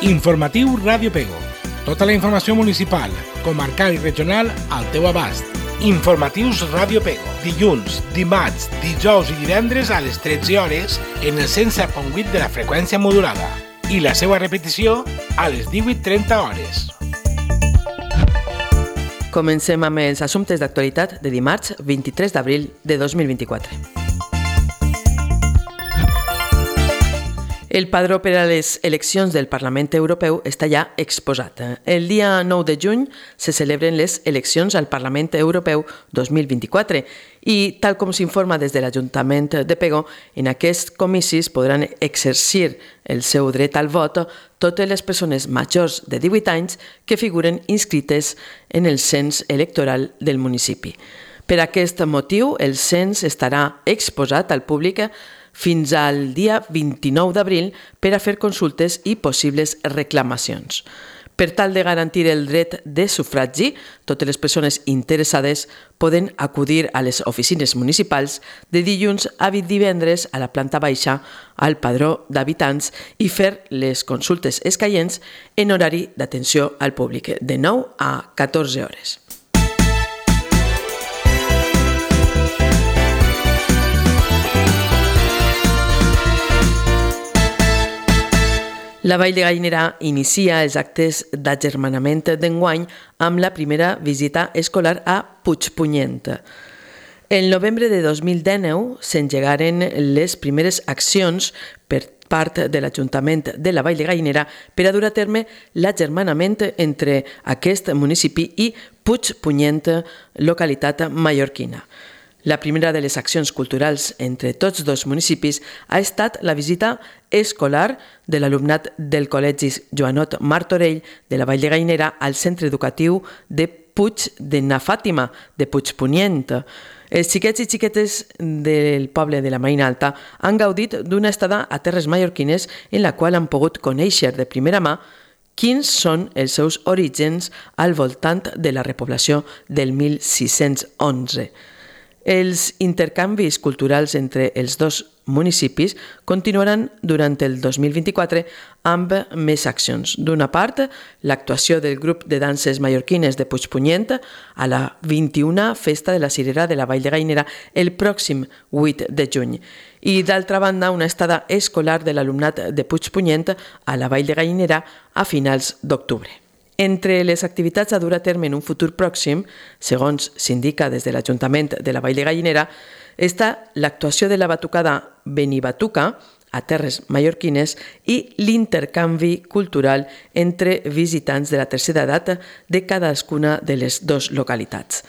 Informatiu Ràdio Pego. Tota la informació municipal, comarcal i regional al teu abast. Informatius Ràdio Pego. Dilluns, dimarts, dijous i divendres a les 13 hores en el 107.8 de la freqüència modulada. I la seva repetició a les 18:30 hores. Comencem amb els assumptes d'actualitat de dimarts 23 d'abril de 2024. El padró per a les eleccions del Parlament Europeu està ja exposat. El dia 9 de juny se celebren les eleccions al Parlament Europeu 2024 i, tal com s'informa des de l'Ajuntament de Pego, en aquests comicis podran exercir el seu dret al vot totes les persones majors de 18 anys que figuren inscrites en el cens electoral del municipi. Per aquest motiu, el cens estarà exposat al públic fins al dia 29 d'abril per a fer consultes i possibles reclamacions. Per tal de garantir el dret de sufragi, totes les persones interessades poden acudir a les oficines municipals de dilluns a divendres a la planta baixa al padró d'habitants i fer les consultes escaients en horari d'atenció al públic, de 9 a 14 hores. La Vall de Gallinera inicia els actes d'agermanament d'enguany amb la primera visita escolar a Puigpunyent. El novembre de 2019 s'engegaren les primeres accions per part de l'Ajuntament de la Vall de Gallinera per a dur a terme l'agermanament entre aquest municipi i Puigpunyent, localitat mallorquina. La primera de les accions culturals entre tots dos municipis ha estat la visita escolar de l'alumnat del Col·legi Joanot Martorell de la Vall de Gallinera al centre educatiu de Puig de na Fàtima, de Puigpunyent. Els xiquets i xiquetes del poble de la Marina Alta han gaudit d'una estada a terres mallorquines en la qual han pogut conèixer de primera mà quins són els seus orígens al voltant de la repoblació del 1611. Els intercanvis culturals entre els dos municipis continuaran durant el 2024 amb més accions. D'una part, l'actuació del grup de danses mallorquines de Puigpunyent a la 21a Festa de la Cirera de la Vall de Gallinera el pròxim 8 de juny. I d'altra banda, una estada escolar de l'alumnat de Puigpunyent a la Vall de Gallinera a finals d'octubre. Entre les activitats a dur a terme en un futur pròxim, segons s'indica des de l'Ajuntament de la Vall de Gallinera, està l'actuació de la batucada Benibatuca a terres mallorquines i l'intercanvi cultural entre visitants de la tercera edat de cadascuna de les dues localitats.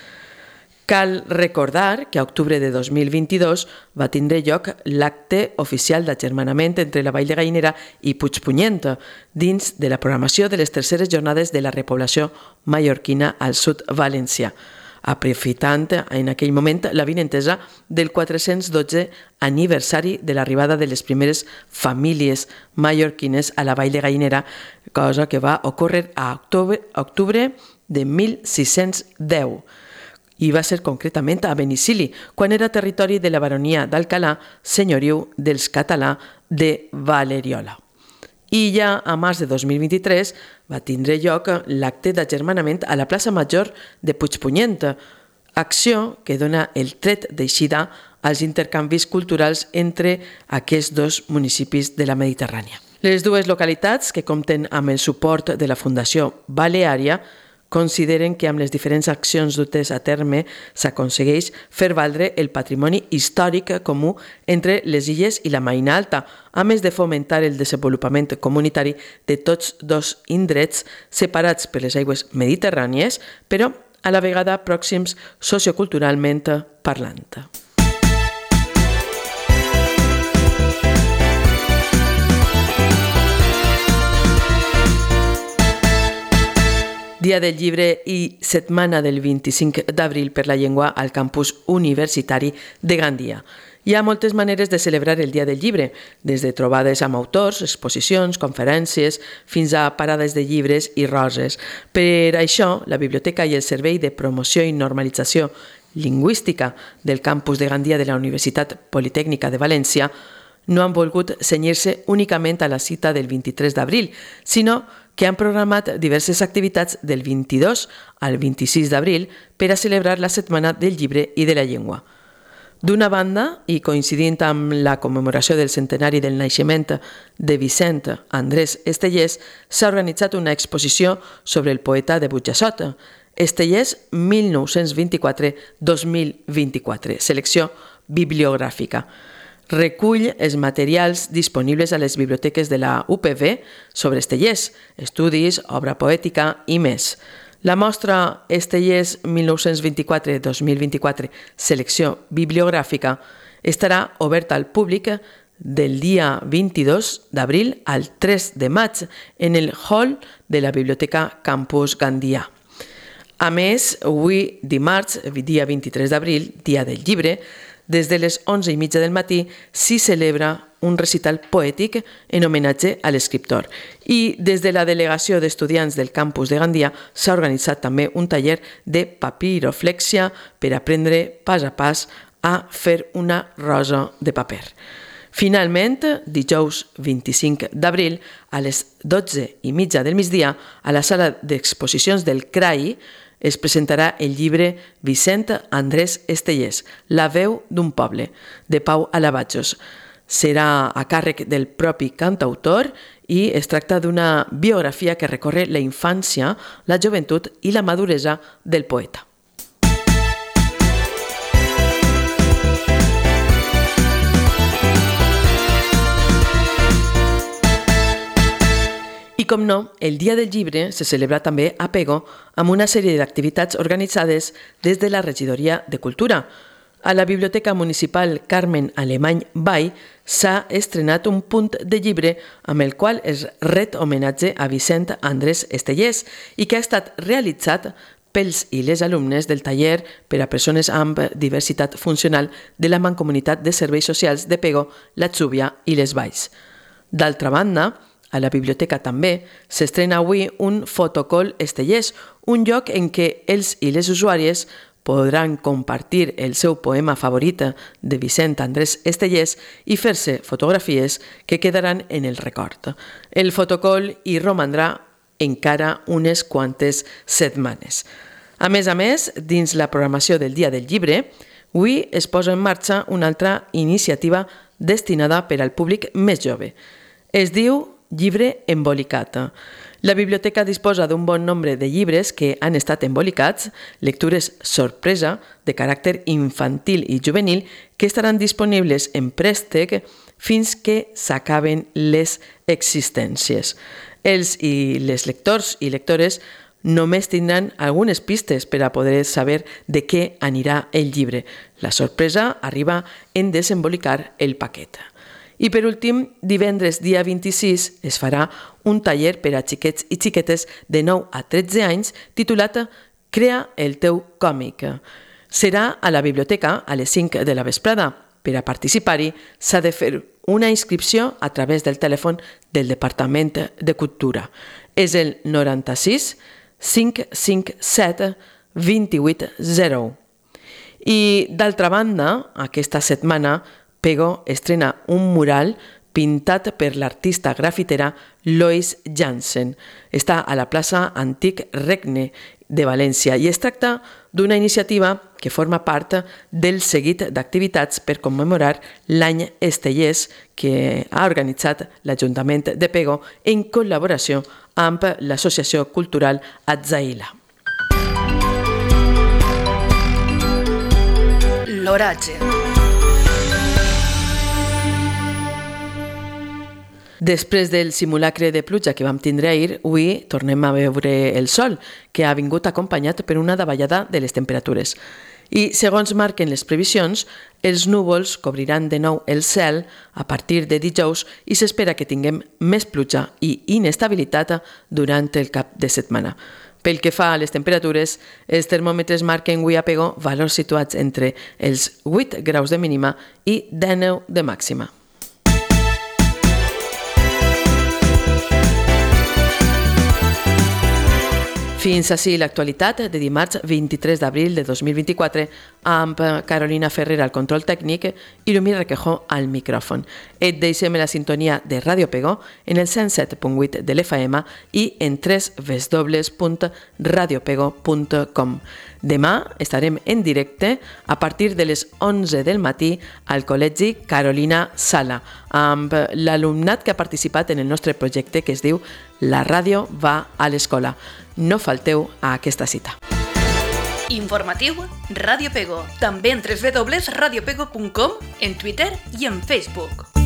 Cal recordar que a octubre de 2022 va tindre lloc l'acte oficial d'agermanament entre la Vall de Gallinera i Puigpunyent dins de la programació de les terceres jornades de la repoblació mallorquina al sud valencià, aprofitant en aquell moment l'avinentesa del 412 aniversari de l'arribada de les primeres famílies mallorquines a la Vall de Gallinera, cosa que va ocórrer a octubre de 1610. I va ser concretament a Benicili, quan era territori de la baronia d'Alcalà, senyoriu dels Català de Valeriola. I ja a març de 2023 va tindre lloc l'acte d'agermanament a la plaça Major de Puigpunyent, acció que dona el tret d'eixida als intercanvis culturals entre aquests dos municipis de la Mediterrània. Les dues localitats, que compten amb el suport de la Fundació Baleària, consideren que amb les diferents accions dutes a terme s'aconsegueix fer valdre el patrimoni històric comú entre les illes i la Marina Alta, a més de fomentar el desenvolupament comunitari de tots dos indrets separats per les aigües mediterrànies, però a la vegada pròxims socioculturalment parlant. Dia del Llibre i setmana del 25 d'abril per la llengua al campus universitari de Gandia. Hi ha moltes maneres de celebrar el Dia del Llibre, des de trobades amb autors, exposicions, conferències, fins a parades de llibres i roses. Per això, la Biblioteca i el Servei de Promoció i Normalització Lingüística del campus de Gandia de la Universitat Politècnica de València no han volgut cenyir-se únicament a la cita del 23 d'abril, sinó que han programat diverses activitats del 22 al 26 d'abril per a celebrar la Setmana del Llibre i de la Llengua. D'una banda, i coincidint amb la commemoració del centenari del naixement de Vicent Andrés Estellés, s'ha organitzat una exposició sobre el poeta de Burjassot, Estellés 1924-2024, selecció bibliogràfica. Recull els materials disponibles a les biblioteques de la UPV sobre Estellés, estudis, obra poètica i més. La mostra Estellés 1924-2024, selecció bibliogràfica, estarà oberta al públic del dia 22 d'abril al 3 de maig en el hall de la Biblioteca Campus Gandia. A més, avui dimarts, dia 23 d'abril, dia del llibre, des de les 11:30 del matí s'hi celebra un recital poètic en homenatge a l'escriptor. I des de la delegació d'estudiants del campus de Gandia s'ha organitzat també un taller de papiroflèxia per aprendre pas a pas a fer una rosa de paper. Finalment, dijous 25 d'abril, a les 12:30 del migdia, a la sala d'exposicions del CRAI, es presentarà el llibre Vicent Andrés Estellés, La veu d'un poble, de Pau Alabachos. Serà a càrrec del propi cantautor i es tracta d'una biografia que recorre la infància, la joventut i la maduresa del poeta. I com no, el Dia del Llibre se celebra també a Pego amb una sèrie d'activitats organitzades des de la Regidoria de Cultura. A la Biblioteca Municipal Carmen Alemany Vall s'ha estrenat un punt de llibre amb el qual es ret homenatge a Vicent Andrés Estellés i que ha estat realitzat pels i les alumnes del taller per a persones amb diversitat funcional de la Mancomunitat de Serveis Socials de Pego, la Xúbia i les Valls. D'altra banda, a la biblioteca també s'estrena avui un fotocall Estellés, un lloc en què els i les usuàries podran compartir el seu poema favorit de Vicent Andrés Estellés i fer-se fotografies que quedaran en el record. El fotocall hi romandrà encara unes quantes setmanes. A més, dins la programació del Dia del Llibre, avui es posa en marxa una altra iniciativa destinada per al públic més jove. Es diu Llibre embolicat. La biblioteca disposa d'un bon nombre de llibres que han estat embolicats, lectures sorpresa de caràcter infantil i juvenil que estaran disponibles en préstec fins que s'acaben les existències. Els i les lectors i lectores només tindran algunes pistes per a poder saber de què anirà el llibre. La sorpresa arriba en desembolicar el paquet. I per últim, divendres dia 26 es farà un taller per a xiquets i xiquetes de 9 a 13 anys titulat Crea el teu còmic. Serà a la biblioteca a les 5 de la vesprada. Per a participar-hi s'ha de fer una inscripció a través del telèfon del Departament de Cultura. És el 96 557 2801. I d'altra banda, aquesta setmana Pego estrena un mural pintat per l'artista grafitera Lois Jansen. Està a la plaça Antic Regne de València i es tracta d'una iniciativa que forma part del seguit d'activitats per commemorar l'any Estellés que ha organitzat l'Ajuntament de Pego en col·laboració amb l'Associació Cultural Atzaïla. L'oratge. Després del simulacre de pluja que vam tindre ahir, avui tornem a veure el sol, que ha vingut acompanyat per una davallada de les temperatures. I, segons marquen les previsions, els núvols cobriran de nou el cel a partir de dijous i s'espera que tinguem més pluja i inestabilitat durant el cap de setmana. Pel que fa a les temperatures, els termòmetres marquen avui a Pego valors situats entre els 8 graus de mínima i 19 de màxima. Fins així l'actualitat de dimarts 23 d'abril de 2024 amb Carolina Ferrer al control tècnic i Lumi Requejo al micròfon. Et deixem la sintonia de Ràdio Pego en el 107.8 de l'FM i en www.radiopego.com. Demà estarem en directe a partir de les 11 del matí al Col·legi Carolina Sala amb l'alumnat que ha participat en el nostre projecte que es diu La ràdio va a l'escola. No falteu a aquesta cita. Informatiu Ràdio Pego. També en www.radiopego.com, en Twitter i en Facebook.